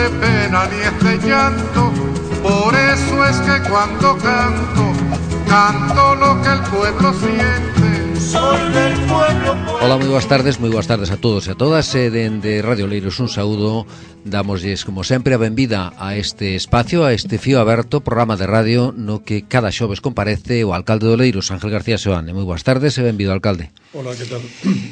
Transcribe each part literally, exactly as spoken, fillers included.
de pena ni es de llanto, por eso es que cuando canto, canto lo que el pueblo siente, soy del pueblo. Ola, moi boas tardes, moi boas tardes a todos e a todas. E dende Radio Oleiros un saúdo, damosles como sempre a benvida a este espacio, a este fío aberto, programa de radio no que cada xoves comparece o alcalde de Oleiros, Ángel García Seoane. Moi boas tardes e benvido, alcalde. Hola, que tal?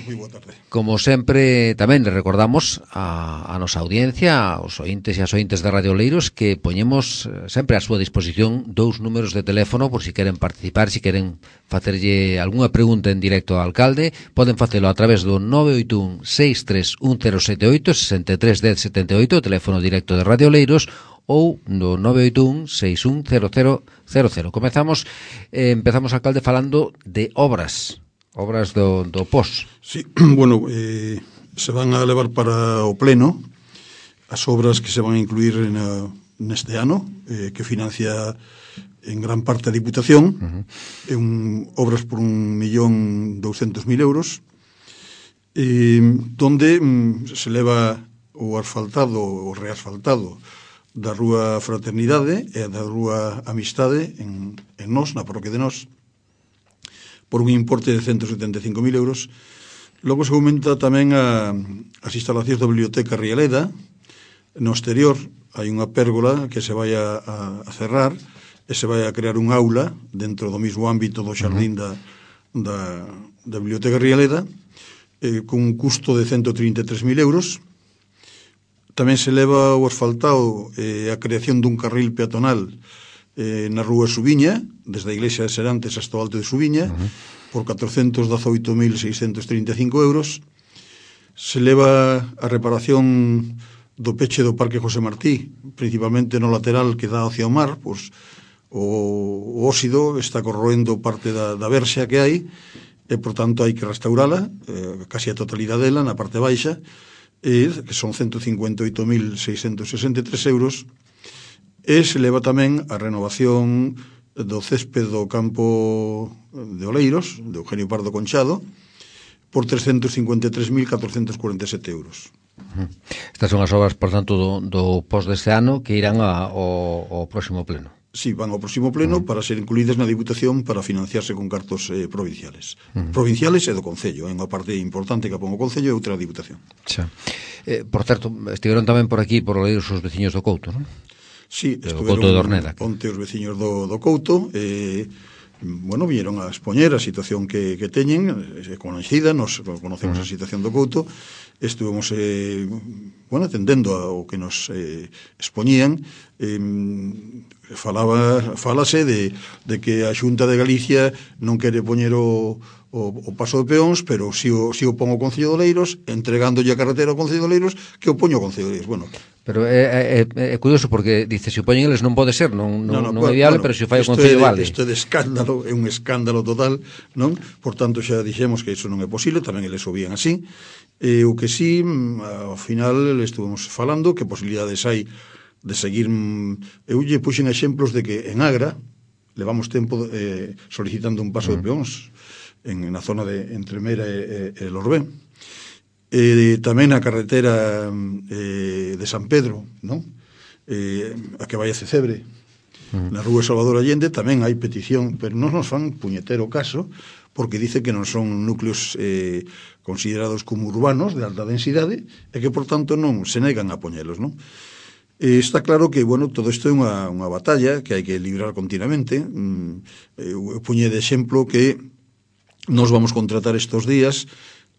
Moi boa tarde. Como sempre, tamén le recordamos a, a nosa audiencia, aos ointes e as ointes de Radio Oleiros, que poñemos sempre a súa disposición dous números de teléfono por si queren participar, si queren facerlle algunha pregunta en directo ao alcalde. Poden facelo a través do nove oito un seis tres un cero sete oito, sesenta e tres dez setenta e oito, o teléfono directo de Radio Oleiros, ou no nove oito un seis un cero cero cero cero. Comezamos, eh, empezamos, alcalde, falando de obras. Obras do, do P O S. Sí, bueno, eh, se van a levar para o pleno as obras que se van a incluir na, neste ano, eh, que financia en gran parte a Diputación, uh-huh. é un, obras por un millón douscentos mil euros, eh, donde mm, se leva o asfaltado, o reasfaltado da Rúa Fraternidade e da Rúa Amistade en, en Nos, na parroquia de Nos, por un importe de ciento setenta e cinco mil euros. Logo se aumenta tamén a, as instalacións da Biblioteca Rialeda. No exterior hai unha pérgola que se vai a, a cerrar e se vai a crear un aula dentro do mesmo ámbito do xardín da, da, da Biblioteca Rialeda, eh, con un custo de ciento trinta e tres mil euros. Tamén se leva o asfaltado eh, a creación dun carril peatonal Eh, na Rúa Subiña, desde a Iglesia de Serantes hasta o Alto de Subiña, uh-huh. por catrocentos dezoito mil seiscentos trinta e cinco euros. Se leva a reparación do peche do Parque José Martí, principalmente no lateral que dá hacia o mar, pois o, o óxido está corroendo parte da, da verxa que hai, e por tanto hai que restaurala, eh, casi a totalidade dela, na parte baixa, eh, que son ciento cincuenta e oito mil seiscentos sesenta e tres euros. E se leva tamén a renovación do césped do campo de Oleiros, de Eugenio Pardo Conchado, por trescentos cincuenta e tres mil catrocentos cuarenta e sete euros. Estas son as obras, por tanto, do, do P O S deste ano que irán a, ao, ao próximo pleno. Sí, van ao próximo pleno uh-huh. para ser incluídas na Diputación para financiarse con cartos eh, provinciales. Uh-huh. Provinciales e do Concello. É unha parte importante que pon o Concello e outra a Diputación. Xa. Eh, por certo, estiveron tamén por aquí, por Oleiros, os veciños do Couto, non? Sí, estuveron onte os veciños do, do Couto, e, bueno, viñeron a expoñer a situación que, que teñen, é conhecida, nos conocemos a situación do Couto, estuvemos, eh, bueno, atendendo ao que nos eh, expoñían, eh, falaba, falase de, de que a Xunta de Galicia non quere poñer o, o, o paso de peóns, pero si o, si o pon o Concello de Oleiros, entregándolle a carretera ao Concello de Oleiros, que o poño o Concello de Oleiros. Bueno, pero é, é, é curioso porque dice, se o poñen eles non pode ser, non, non, non, no, non é viable, bueno, pero se o fai o Concello vale. Isto é de escándalo, é un escándalo total, non? Por tanto, xa dixemos que iso non é posible, tamén eles o vían así. E o que sí, ao final estuvemos falando que posibilidades hai de seguir. Eu lle puxen exemplos de que en Agra levamos tempo eh, solicitando un paso mm. de peóns en, na zona de entre Mera e, e, e Lorbén. E tamén a carretera eh, de San Pedro, non? Eh, a que vai a Cecebre, mm. na Rúa Salvador Allende, tamén hai petición, pero non nos fan puñetero caso, porque dice que non son núcleos eh, considerados como urbanos de alta densidade e que, por tanto, non se negan a poñelos, non? Eh, está claro que, bueno, todo isto é unha, unha batalla que hai que librar continuamente. Mm, eu puñe de exemplo que nos vamos contratar estes días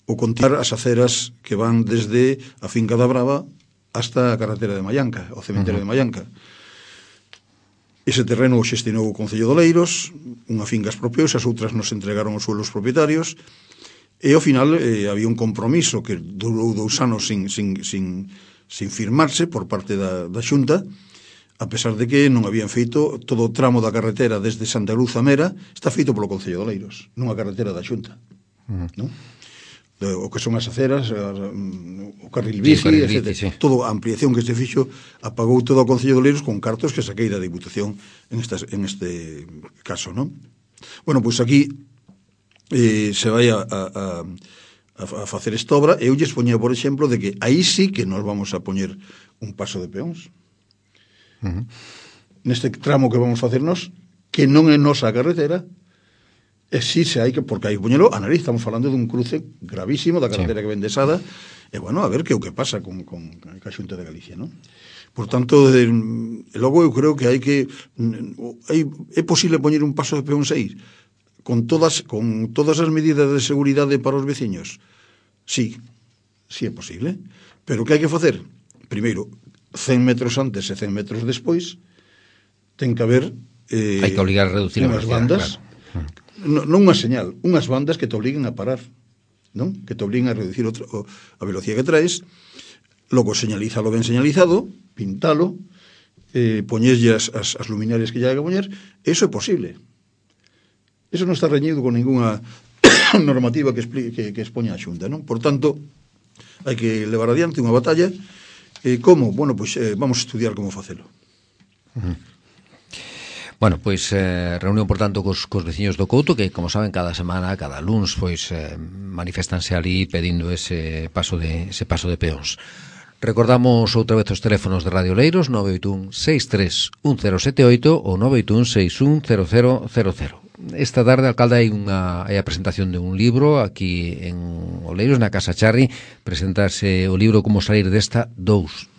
o continuar as aceras que van desde a finca da Brava hasta a carretera de Mallanca, o cementerio uh-huh. de Mallanca. Ese terreno o xestinou o Concello de Oleiros, unha finca expropiou, as outras nos entregaron os suelos propietarios, e ao final eh, había un compromiso que durou dous anos sin, sin, sin, sin firmarse por parte da, da Xunta, a pesar de que non habían feito todo o tramo da carretera desde Santa Cruz a Mera, está feito polo Concello de Oleiros, non a carretera da Xunta. Uh-huh. Non? O que son as aceras, o carril bici, sí, etcétera. Sí. Toda a ampliación que se fixo apagou todo o Concello de Oleiros con cartos que saquei da Diputación en, estas, en este caso, non? Bueno, pois aquí eh, se vai a, a, a, a facer esta obra, eu lles poñía, por exemplo, de que aí sí que nos vamos a poñer un paso de peóns. Uh-huh. Neste tramo que vamos facernos, que non é nosa carretera, e sí se hai que, porque hai que poñelo a nariz, estamos falando dun cruce gravísimo da carretera sí. que ven de Sada, e bueno, a ver que o que pasa con, con, con a Xunta de Galicia, non? Por tanto, de, logo eu creo que hai que hai, é posible poñer un paso de peóns aí con todas con todas as medidas de seguridade para os veciños. Sí, sí é posible, pero que hai que facer? Primeiro, cen metros antes e cen metros despois ten que haber eh, hai que obligar a reducir unhas bandas, claro. non, non unha señal, unhas bandas que te obliguen a parar, non? Que te obliguen a reducir outro, a velocidade que traes. Logo señalízalo ben señalizado, pintalo, eh, poñeslle as, as, as luminarias que lle hai que poñer. Eso é posible. Eso non está reñido con ninguna normativa que, expli, que, que expoña a Xunta, non? Por tanto, hai que levar adiante unha batalla. Eh, como? Bueno, pois eh, vamos a estudiar como facelo. Uh-huh. Bueno, pois eh, reunión, por tanto, cos, cos veciños do Couto, que, como saben, cada semana, cada luns, pois eh, manifestanse ali pedindo ese paso de, ese paso de peóns. Recordamos outra vez os teléfonos de Radio Oleiros, nove oito un seis tres un cero sete oito ou nove oito un seis un cero cero cero cero. Esta tarde, alcalde, hai unha hai a presentación de un libro aquí en Oleiros, na Casa Charri. Presentarse o libro Como salir desta dous.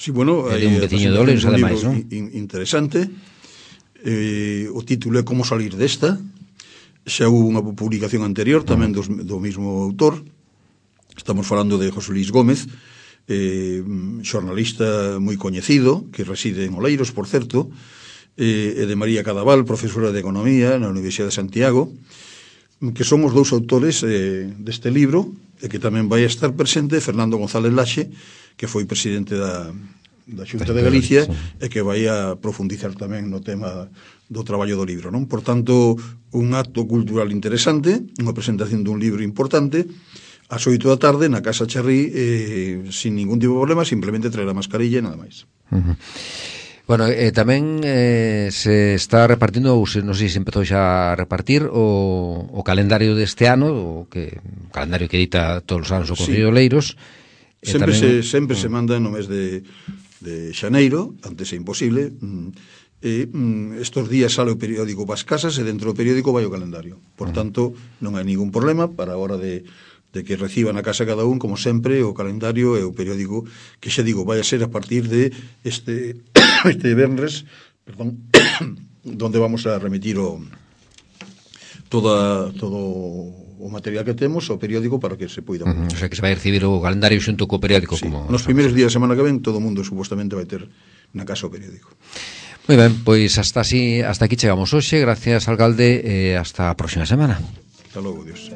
Sí, bueno, hai un veciño de Oleiros, ademais, non? Interesante. Eh, o título é Como salir desta. Xa houve unha publicación anterior tamén dos, do mesmo autor. Estamos falando de José Luis Gómez, eh, xornalista moi coñecido, que reside en Oleiros, por certo, eh, e de María Cadaval, profesora de Economía na Universidade de Santiago, que son os dous autores eh, deste libro, e que tamén vai estar presente Fernando González Laxe, que foi presidente da, da Xunta de Galicia, e que vai a profundizar tamén no tema do traballo do libro, non? Por tanto, un acto cultural interesante, unha presentación dun libro importante, ás oito da tarde na Casa Charri, eh, sin ningún tipo de problema, simplemente traer a mascarilla e nada máis. Uh-huh. Bueno, eh, tamén eh, se está repartindo, ou se, non sei se empezou xa a repartir o, o calendario deste ano, o que o calendario que edita todos os anos o Concello de Oleiros. Eh, sempre tamén, se, sempre uh, se manda no mes de, de xaneiro, antes é imposible. E mm, estos días sale o periódico para as casas e dentro do periódico vai o calendario. Por uh-huh. tanto, non hai ningún problema para a hora de de que reciban a casa cada un, como sempre, o calendario e o periódico, que xa digo, vai a ser a partir de este este venres, perdón, donde vamos a remitir o toda todo o material que temos, o periódico, para que se poida. Uh-huh. O sea, que se vai recibir o calendario xunto co periódico. Sí, como nos primeiros días da semana que ven, todo o mundo supostamente vai ter na casa o periódico. Moi ben, pois hasta así, hasta aquí chegamos hoxe. Gracias, alcalde, e hasta a próxima semana. Hasta logo, Dios.